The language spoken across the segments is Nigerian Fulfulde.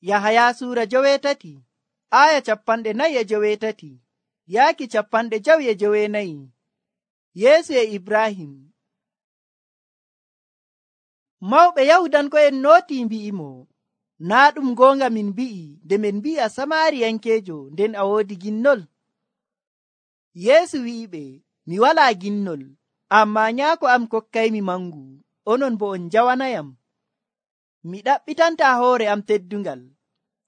Yahaya suura 17 aya 49 yaaki 54. Yeesu e Ibrahim. Mawɓe Yahudanko'en nooti mbi'imo, naa ɗum goonga min mbi'i nde min mbi'i a Samariyankeejo nden a woodi ginnol? Yeesu wi'iɓe, mi walaa ginnol, ammaa nyaako am kokkaymi mangu, onon bo on njawanayam. Mi ɗaɓɓitanta hoore am teddungal,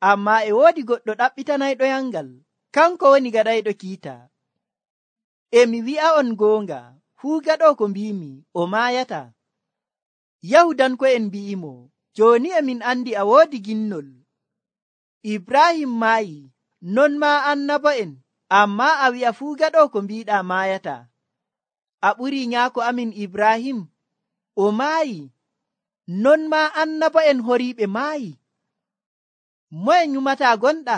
ammaa e woodi goɗɗo ɗaɓɓitanayɗoyangal, kanko woni gaɗayɗo kiita. E mi wi'a'on goonga, fuu gaɗo ko mbimi o maayata. Yahudanko'en mbi'imo, jooni e min andi a woodi ginnol. Ibrahim maayi, non maa annabo'en, ammaa a wi'a fuu gaɗo ko mbiɗa maayata. A ɓurii nyaako amin Ibrahim, o maayi, non maa annabo'en horiiɓe maayi. Moye nyumata gonɗa?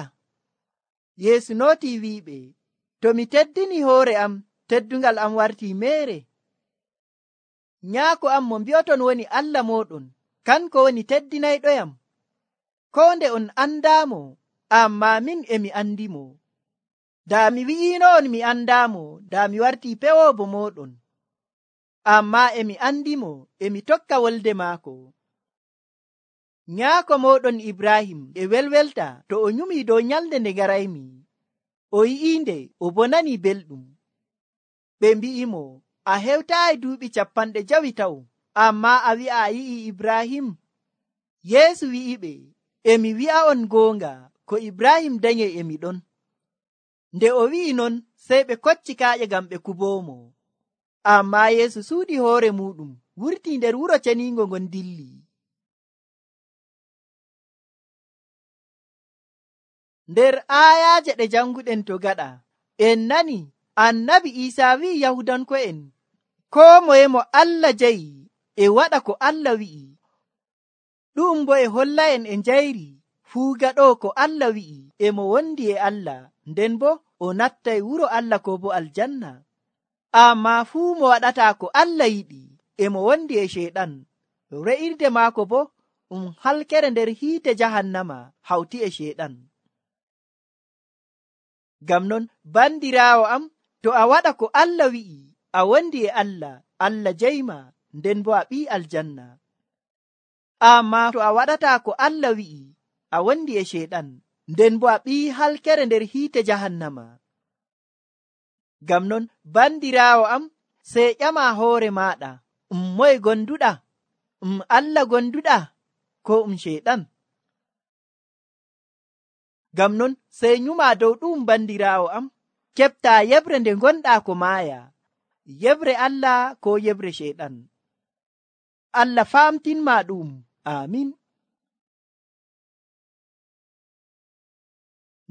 Yeesu nooti wi'iɓe, to mi teddini hoore am, teddungal am wartii meere. Nyaako am mo mbi'oton woni Allah mooɗon, kanko woni teddinayɗoyam. Koo nde on andaamo, ammaa min e mi andimo. Daa mi wi'ino on mi andaamo, daa mi wartii pewoobo mooɗon. Ammaa e mi andimo, e mi tokka wolde maako. Nyaako mooɗon Ibrahim e welwelta to o nyumi dow nyalde nde garaymi. O yi'inde o bo nani belɗum. Ɓe mbi'imo, a hewtaayi duuɓi 50, ammaa a wi'a a yi'i Ibrahim? Yeesu wi'iɓe, e mi wi'a'on goonga, ko Ibrahim danyey e mi ɗon. Nde o wi'i non, sey ɓe kocci kaaƴe ngam ɓe kuboomo. Ammaa Yeesu suudi hoore muɗum, wurtii nder wuro ceniingo ngon dilli. Nder aayaaje ɗe janguɗen to gaɗa, en nani annabi Iisaa wi'i Yahudanko'en, koo moye mo Allah jayi e waɗa ko Allah wi'i. Ɗum bo e holla'en e njayri fuu gaɗo ko Allah wi'i e mo wondi e Allah, nden bo o nattay wuro Allah ko bo aljanna. Ammaa fuu mo waɗata ko Allah yiɗi e mo wondi e Ceyɗan, re'irde maako bo halkere nder hiite jahannama hawti e Ceyɗan. Ngam non bandiraawo am, to a waɗa ko Allah wi'i, a wondi e Allah, Allah jeyma, nden bo a ɓii aljanna. Ammaa to a waɗata ko Allah wi'i, a wondi e Ceyɗan, nden bo a ɓii halkere nder hiite jahannama. Ngam non bandiraawo am, sey ƴama hoore maaɗa, moye gonduɗa? Allah gonduɗa, ko Ceyɗan? Ngam non sey nyuma dow ɗum bandiraawo am, keɓta yebre nde gonɗa ko maaya, yebre Allah ko yebre Ceyɗan. Allah famtinma ɗum. Amin.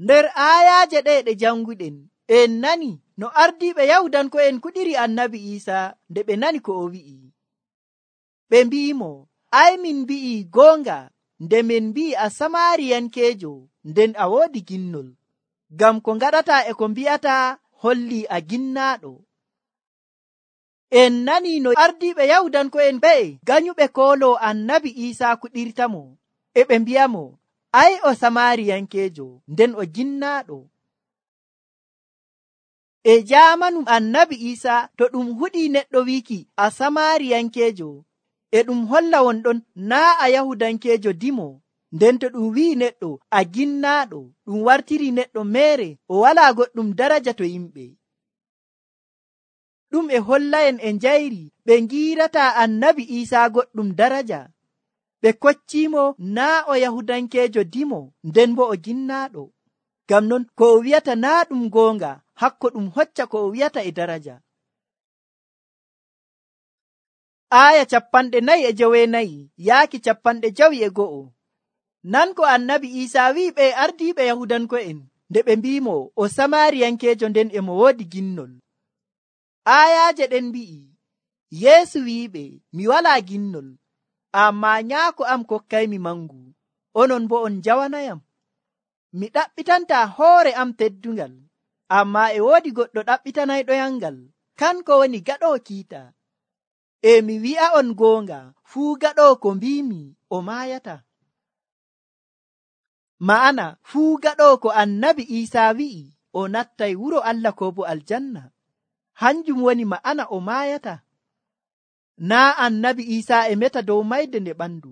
Nder aayaaje ɗe janguɗen, en nani no ardiiɓe Yahudanko'en kuɗiri annabi Iisaa nde ɓe nani ko o wi'i. Ɓe mbi'imo, ay min mbi'i goonga nde min mbi'i a Samariyankeejo nden a woodi ginnol, ngam ko ngaɗata e ko mbi'ata holli a ginnaaɗo. En nani no ardiiɓe Yahudanko'en ɓe ganyuɓe koolo annabi Iisaa kuɗirtamo, e ɓe mbi'amo, ay o Samariyankeejo nden o ginnaaɗo. E jaamanu annabi Iisaa to ɗum huɗi neɗɗo wiiki a Samariyankeejo, e ɗum holla wonɗon naa a Yahudankeejo dimo. Nden to ɗum wi'i neɗɗo a ginnaaɗo, ɗum wartiri neɗɗo meere o walaa goɗɗum daraja to yimɓe. Ɗum e holla'en e njayri ɓe ngiirata annabi Iisaa goɗɗum daraja. Ɓe koccimo naa o Yahudankeejo dimo, nden bo o ginnaaɗo. Ngam non ko o wi'ata naa ɗum goonga, hakko ɗum hocca ko o wi'ata e daraja. Aya 49 yaaki 51. Nan ko annabi Iisaa wi'i ɓe ardiiɓe Yahudanko'en nde ɓe mbimo o Samariyankeejo nden e mo woodi ginnol. Ayaaje ɗen mbi'i, Yeesu wi'iɓe, mi walaa ginnol, ammaa nyaako am kokkaymi mangu, onon bo on njawanayam. Mi ɗaɓɓitanta hoore am teddungal, ammaa e woodi goɗɗo ɗaɓɓitanayɗoyangal, kanko woni gaɗo kiita. E mi wi'a'on goonga, fuu gaɗo ko mbimi o maayata. Ma'ana fuu gaɗo ko annabi Iisaa wi'i o nattay wuro Allah ko bo aljanna. Hanjum woni ma'ana o maayata. Naa annabi Iisaa e meta dow mayde nde ɓandu,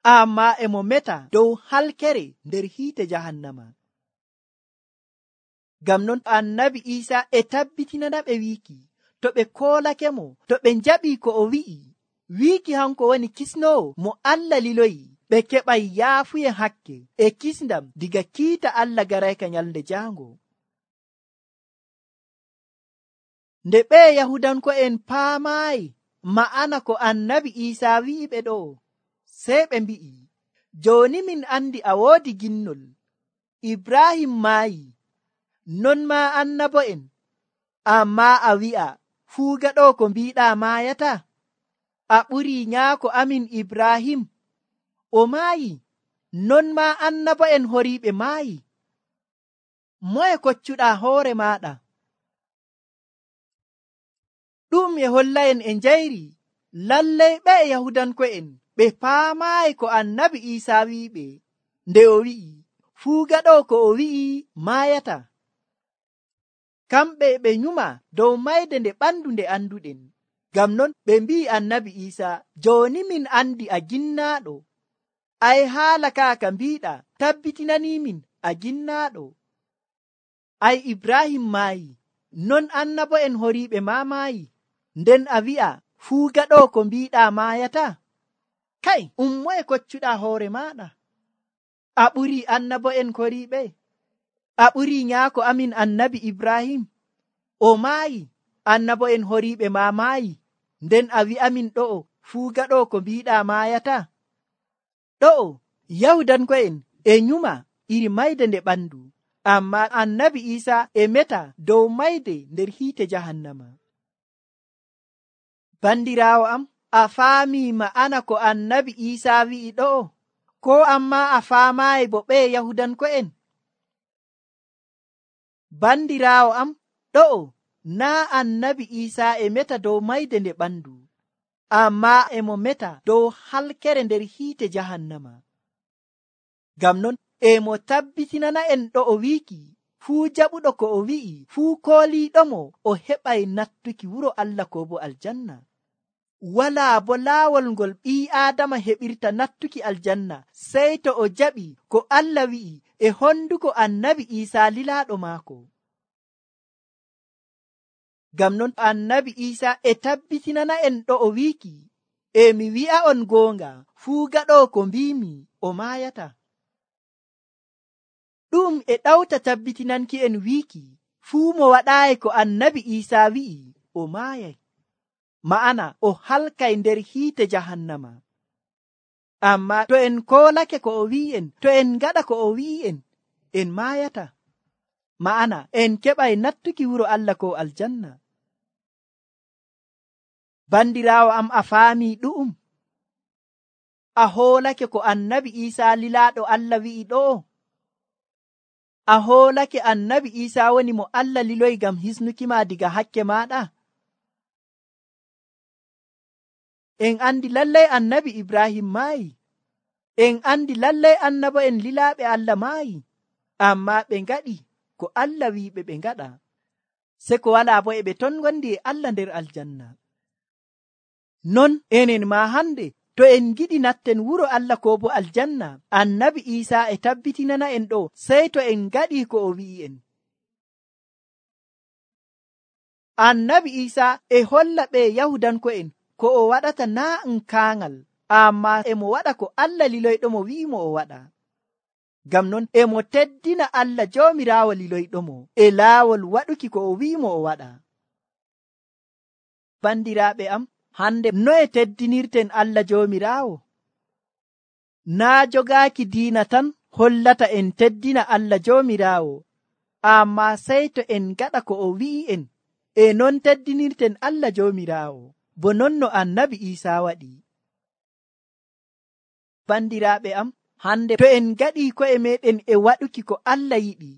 amma e mo meta dow halkere nder hiite jahannama. Ngam non annabi Iisaa e tabbitinana ɓe wiiki to ɓe koolake mo, to ɓe njaɓi ko o wiiki hanko woni kisnowo mo Allah liloyi, ɓe keɓay yaafuye hakke e kisndam diga kiita Allah garayka nyalnde jaango. Nde ɓe Yahudanko'en paamaayi ma'ana ko annabi Iisaa wi'i ɓe ɗo, sey ɓe mbi'i, jooni min andi a woodi ginnol. Ibrahim maayi, non maa annabo'en, amma a wi'a fuu gaɗo ko mbiiɗaa maayata. A ɓurii nyaako amin Ibrahim, o maayi, non maa annabo'en horiiɓe maayi. Moye koccuɗaa hoore maaɗa? Ɗum e holla'en e njayri lallay ɓe Yahudanko'en ɓe paamaayi ko annabi Iisaa wi'iɓe nde o wi'i fuu gaɗo ko o wi'i maayata. Kamɓe ɓe nyuma dow mayde nde ɓandu nde anduɗen. Ngam non ɓe mbi'i annabi Iisaa, jooni min andi a ginnaaɗo. Ay haala kaa ka mbiiɗa tabbitinaniimin a ginnaaɗo. Ay Ibrahim maayi, non annabo'en horiiɓe maa maayi, nden a wi'a fuu gaɗo ko mbiiɗaa maayata. Kay, moye koccuɗaa hoore maaɗa? A ɓurii annabo'en horiiɓe? A ɓurii nyaako amin annabi Ibrahim? O maayi, annabo'en horiiɓe maa maayi, nden a wi'amin ɗo'o fuu gaɗo ko mbiiɗaa maayata. Ɗo'o Yahudanko'en e nyuma iri mayde nde ɓandu, amma annabi Iisaa e meta dow mayde nder hiite jahannama. Bandiraawo am, a faamii ma'ana ko annabi Iisaa wi'i ɗo'o, ko amma a faamaayi bo ɓe Yahudanko'en? Bandiraawo am, ɗo'o naa annabi Iisaa e meta dow mayde nde ɓandu, amma e mo meta dow halkere nder hiite jahannama. Ngam non e mo tabbitinana en ɗo'o wiiki fuu jaɓuɗo ko o wi'i, fuu kooliiɗomo o heɓay nattuki wuro Allah ko bo aljanna. Walaa bo laawol ngol ɓii Aadama heɓirta nattuki aljanna sey to o jaɓi ko Allah wi'i e honduko annabi Iisaa lilaaɗo maako. Ngam non annabi Iisaa e tabbitinana en ɗo'o wiiki, e mi wi'a on goonga, fuu gaɗo ko mbiimi o maayata. Ɗum e ɗawta tabbitinanki en wiiki fuu mo waɗaayi ko annabi Iisaa wi'i o maayay, ma'ana o halkay nder hiite jahannama. Amma to en koolake ko o wi'i'en, to en ngaɗa ko o wi'i'en, en maayata, ma'ana en keɓay nattuki wuro Allah ko aljanna. Bandiraawo am, a faamii ɗu'um? A hoolake ko annabi Iisaa lilaaɗo Allah wi'i ɗo'o? A hoolake annabi Iisaa woni mo Allah liloyi ngam hisnukima diga hakke maaɗa? En andi lallay annabi Ibrahim maayi. En andi lallay annabo'en lilaaɓe Allah maayi. Amma ɓe ngaɗi ko Allah wi'iɓe ɓe ngaɗa. Se ko walaa bo e ɓe ton gondi e Allah nder aljanna. Non enen ma hande to en giɗi natten wuro Allah ko bo aljanna, annabi Iisaa e tabbitinana en ɗo sey to en ngaɗi ko o wi'i'en. Annabi Iisaa e holla ɓe Yahudanko'en ko o waɗata naa kaaŋal, amma e mo waɗa ko Allah liloyɗomo wi'imo o waɗa. Ngam non e mo teddina Allah Joomiraawo liloyɗomo e laawol waɗuki ko o wi'imo o waɗa. Bandiraaɓe am, hande noye teddinirten Allah Joomiraawo? Naa jogaaki diina tan hollata en teddina Allah Joomiraawo, amma sey to en gaɗa ko o wi'i'en, e non teddinirten Allah Joomiraawo, bo non no annabi Iisaa waɗi. Bandiraaɓe am, hande to en gaɗi ko'e meɗen e waɗuki ko Allah yiɗi,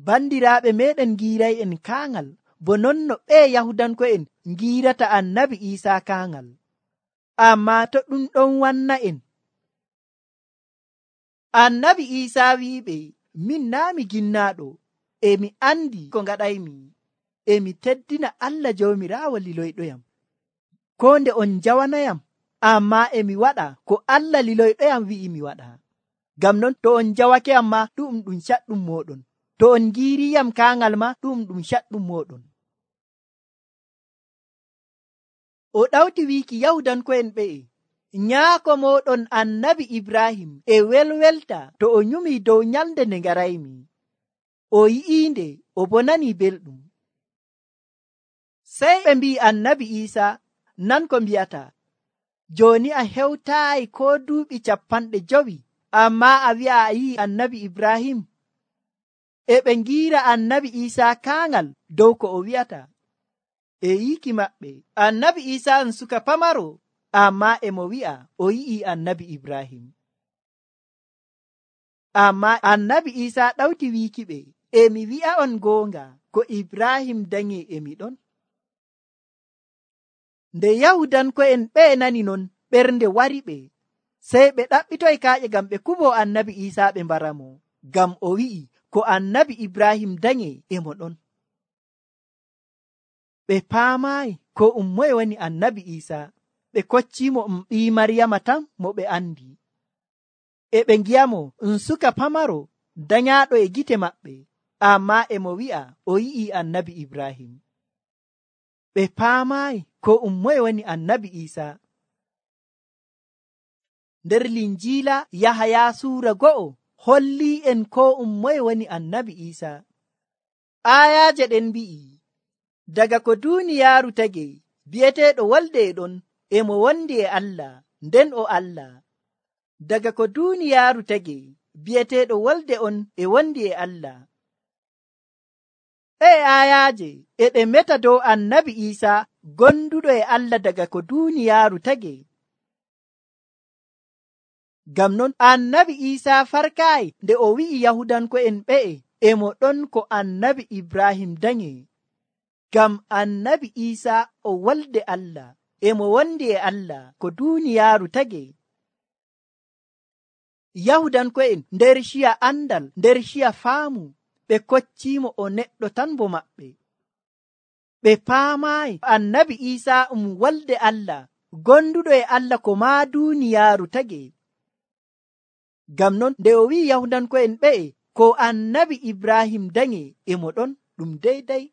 bandiraaɓe meɗen giiray en kaaŋal, bo non no ɓe Yahudanko'en giirata annabi Iisaa kaaŋal. Amma to ɗum ɗon wanna en, Annabi Iisaa wi'iɓe, min naa mi ginnaɗo, e mi andi ko ngaɗaymi, e mi teddina Allah Jawmiraawo liloyɗoyam. Ko nde on jawanayam, amma e mi waɗa ko Allah liloyɗoyam wi'i mi waɗa. Ngam non to on jawake am ma ɗum caɗɗum moɗon, to on giiriyam kaangal ma ɗum caɗɗum moɗon. O ɗawti wiiki Yahudanko'en ɓe'e, nyaako moɗon annabi Ibrahim e welwelta to o nyumi dow nyalde nde ngaraymi. O yi'iinde o bo nani belɗum. Sey ɓe mbi'i annabi Iisaa, nan ko mbi'ata, jooni a hewtaayi ko duuɓi 50, amma a wi'a a yi'i annabi Ibrahim. E ɓe ngiira annabi Iisaa kaangal dow ko o wi'ata. E yiiki maɓɓe, annabi Iisaa suka pamaro, amma e mo wi'a o yi'i annabi Ibrahim. Amma annabi Iisaa ɗawti wiikiɓe, e mi wi'a on goonga, ko Ibrahim danyi e mi ɗon. Nde Yahudanko'en ɓe nani non, ɓernde wariɓe, sey ɓe ɗaɓɓitoy kaaƴe ngam ɓe kubo annabi Iisaa ɓe mbaramo, ngam o wi'i ko annabi Ibrahim danyi e mo ɗon. Ɓe paamaayi ko moye woni annabi Iisaa, ɓe koccimo ɓii Maryama tan mo ɓe andi. E ɓe ngiyamo suka pamaro danyaɗo e gite maɓɓe, amma e mo wi'a o yi'i annabi Ibrahim. Ɓe paamaayi ko moye woni annabi Iisaa. Nder linjiila Yahaya suura 1 holli en ko moye woni annabi Iisaa. Ayaaje ɗen mbi'i, daga ko duuniyaaru tagi bi'eteeɗo wolde e ɗon, e mo wondi e Allah, nden o Allah. Daga ko duuniyaaru tagi bi'eteeɗo wolde on e wondi e Allah. Ayaaje e ɗe meta dow annabi Iisaa gonduɗo e Allah daga ko duuniyaaru tagi. Ngam non annabi Iisaa farkaayi nde o wi'i Yahudanko'en ɓe'e e mo ɗon ko annabi Ibrahim danyi. Ngam annabi Iisaa o wolde Allah, e mo wondi e Allah ko duuniyaaru tagi. Yahudanko'en nder ciya andal, nder ciya faamu, ɓe koccimo o neɗɗo tan bo maɓɓe. Ɓe paamaayi annabi Iisaa wolde Allah, gonduɗo e Allah ko maa duuniyaaru tagi. Ngam non nde o wi'i Yahudanko'en ɓe'e ko annabi Ibrahim danyi e mo ɗon, ɗum deydey.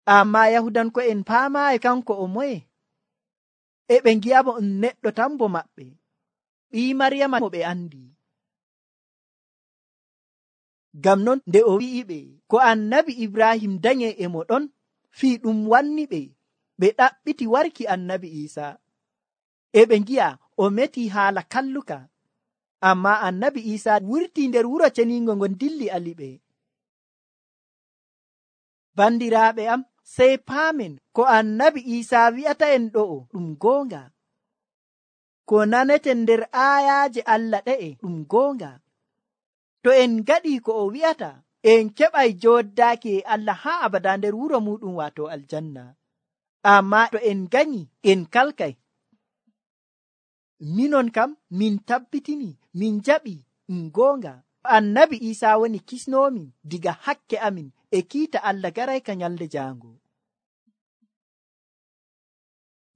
Amma Yahudanko'en paamaayi kanko o moye, e ɓe ngi'amo neɗɗo tan bo maɓɓe, ɓii Maryama mo ɓe andi. Ngam non nde o wi'iɓe ko annabi Ibrahim danyi e mo ɗon, fii ɗum wanni ɓe ɗaɓɓiti warki annabi Iisaa. E ɓe ngi'a o meti haala kalluka, amma annabi Iisaa wurti nder wuro ceningo ngon dilli aliɓe. Bandiraaɓe am, sey paamen ko annabi Iisaa wi'ata en ɗo'o ɗum goonga. Ko naneten nder aayaaje Allah ɗe'e ɗum goonga. To en gaɗi ko o wi'ata, en keɓay jooɗdaaki e Allah haa abada nder wuro muɗum waato aljanna. Amma to en ganyi, en kalkay. Minon kam min tabbitini, min jaɓi goonga. Annabi Iisaa woni kisnoomin diga hakke amin e kiita Allah garayka nyalde jaango.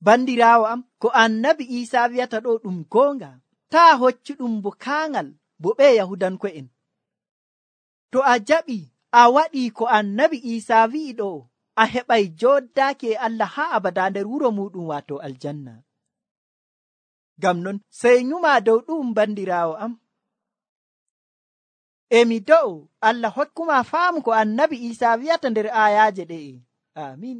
Bandiraawo am, ko annabi Iisaa wi'ata ɗo ɗum goonga. Taa hoccu ɗum bo kaangal bo ɓe Yahudanko'en. To a jaɓi a waɗi ko annabi Iisaa wi'i ɗo, a heɓay jooɗdaaki e Allah haa abada nder wuro muɗum waato aljanna. Ngam non sey nyuma dow ɗum bandiraawo am. Emi do'o Allah hokkuma faamu ko annabi Iisaa wi'ata nder aayaaje ɗe'e. Amin.